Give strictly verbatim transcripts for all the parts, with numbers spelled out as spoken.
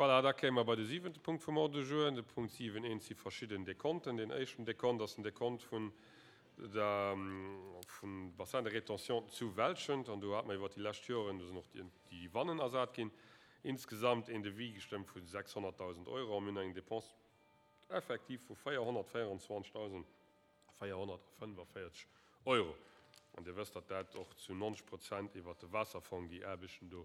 Voilà, da kéime mer bei de siwente Punkt vum Ordre du jour. De Punkt siwen eent si verschidden Dekonten. Deen éischten Dekont ass den Dekont vun der, vum Bassin de rétention zu Welschent. An do hate mer iwwert déi lescht Joren, do sinn och déi, déi Wannen ersat ginn, insgesamt een Devis gestëmmt vu sechshonnertdausend Euro a mir hunn eng Dépense effective vu véierhonnertvéierundzwanzegdausend véierhonnertfënnefenvéierzeg Euro. An Dir wësst, datt dat och zu neunzeg Prozent iwwert de Waasserfong, déi Aarbechten do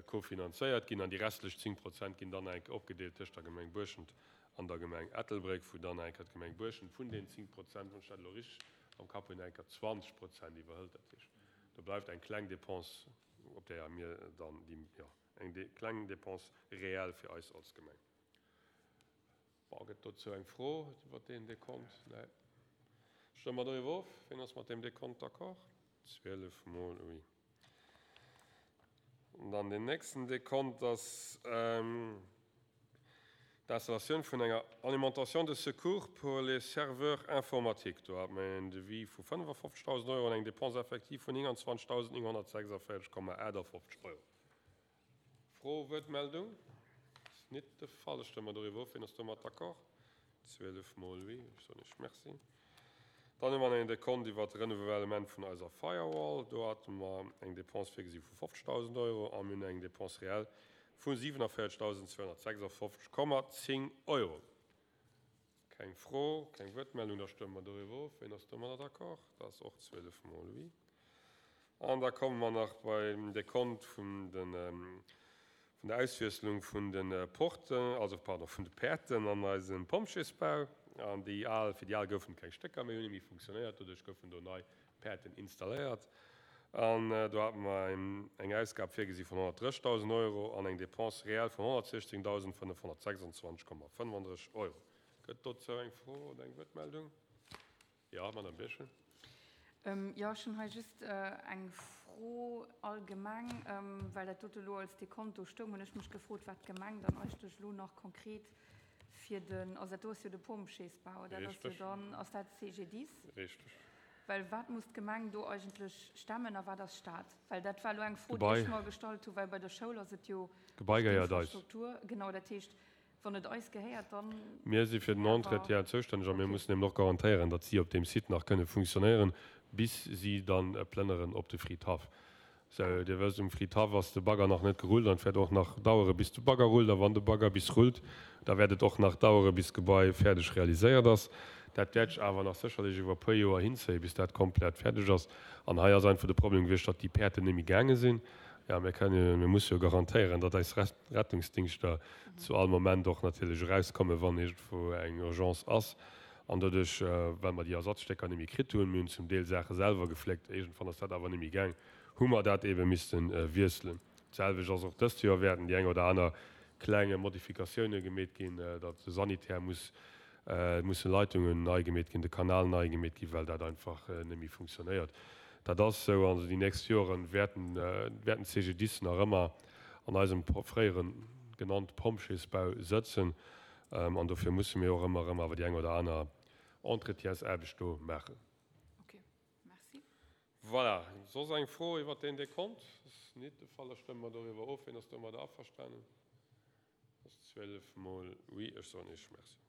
kofinanzéiert ginn. An déi restlech zéng Prozent ginn dann enk opgedeelt tëscht der Gemeng Buerschent an der Gemeng Ettelbréck, wou dann enker d'Gemeng Buerschent vun den zéng Prozent, wann ech dat elo richteg am Kapp hunn, enker zwanzeg Prozent iwwerhëlt. Dat heescht, do bleift eng kleng Dépense, op där mir dann déi, jo, eng kleng Dépense réelle fir eis als Gemeng. Bon, gëtt dozou eng Fro iwwer deen Dekont? Nee. Stëmme mer doriwwer of. Wien ass mat deem Dekont d'accord? Zwielef mol oui. An dann deen nächsten Dekont ass d'Installatioun vun enger Alimentation de secours pour les serveurs informatiques. Do hat mer en Devis vu fënnefofzegdausend Euro an eng Dépense effective vun nénganzwanzegdausend nénghonnertsechsundvéierzeg Komma achtundfünfzeg Euro. Fro, Wuertmeldung? Ass net de Fall. Ech stëmme mer doriwwer of. Wien ass domat d'accord? Zwielef mol oui. Ech soen Iech Merci. Dann hu mer en Dekont iwwer de Renouvellement vun eiser Firewall. Do hate mer eng Dépense virgesi vu fofzegdausend Euro a mir hunn eng Dépense réelle vu siewenundvierzigtausendzweihundertsechsundfünfzig Komma zehn Euro. Keng Fro, keng Wuertmeldung, da stëmme mer doriwwer of. Wien ass domadder d'accord? Dat ass och zwielef mol oui. An da komme mer nach beim Dekont vun den, vun der Auswiesslung vun den Porten, also pardon, vun de Päerten an eisem Pompjeesbau. An déi al, fir déi al goufen keng Stécker méi, hunn net méi funktionéiert, doduerch goufen do nei Päerten installéiert. An do hate mer eng Ausgab virgesi vun honnertdrëssigdausend Euro an eng Dépense réelle vun honnertsechzéngdausendfënnefhonnertsechsundzwanzeg Komma fënnefundrësseg Euro. Gëtt dozou eng Fro oder eng Wuertmeldung? Ja, Madame Birchen. Jo, ech hunn hei just eng Fro allgemeng, well dat dote elo als Dekont do stoung, hunn ech mech gefrot, wat d'Gemeng dann eigentlech elo nach konkret fir den, also dat do ass jo de Pompjeesbau, dat ass jo dann, ass dat C G D I S? Richteg. Well wat muss d'Gemeng do eigentlech stemmen a wat ass Staat? Well dat war elo eng Fro, déi ech mer gestallt hunn, well bei der Schoul ass et jo Gebai gehéiert eis. d'Infrastruktur. Genau, dat heescht, wann et eis gehéiert, dann Mir si fir den Entretien zoustänneg a mir mussen eben och garantéieren, datt si op deem Site nach kënne funktionéieren, bis si dann plënneren op de Fridhaff. Sou, Dir wësst, um Fridhaff ass de Bagger nach net gerullt an et wäert och nach dauere bis de Bagger rullt. A wann de Bagger bis rullt, da wäert et och nach dauere bis d'Gebai fäerdeg realiséiert ass. Dat wäert sech awer nach sécherlech iwwer e puer Joer hinzéien, bis dat komplett fäerdeg ass. An hei ass einfach de Problem gewiescht, datt déi Päerten net méi gaange sinn. Ja, mir kënnen, mir musse jo garantéieren, datt eis Rettungsdingschter zu all Moment och natierlech erauskommen, wann iergendwou eng Urgence ass. An doduerch, well mer déi Ersatzstécker net méi kritt hunn, mir hunn zum Deel Saache selwer gefléckt, iergendwann ass dat awer net méi gaang, hu mer dat eebe misste wiesselen. D'selwecht ass och dëst Joer, wäerten déi eng oder aner kleng Modifikatioune gemeet ginn, datt de Sanitär muss, musse Leitungen nei gemeet ginn, de Kanal nei gemeet ginn, well dat einfach net méi funktionéiert. Dat ass esou. Also déi nächst Joren wäerten, wäerten d'C G D I S nach ëmmer an eisem fréiere genannt Pompjeesbau sëtzen. An dofir musse mir och ëmmer erëm awer déi eng oder aner Entretiensaarbecht do maachen. Ok, merci. Voilà. Soss eng Fro iwwert deen Dekont? Ass nit de Fall. Da stëmme mer doriwwer of. Wien ass domadder averstanen? Dat ass zwielef mol oui. Ech soen Iech Merci.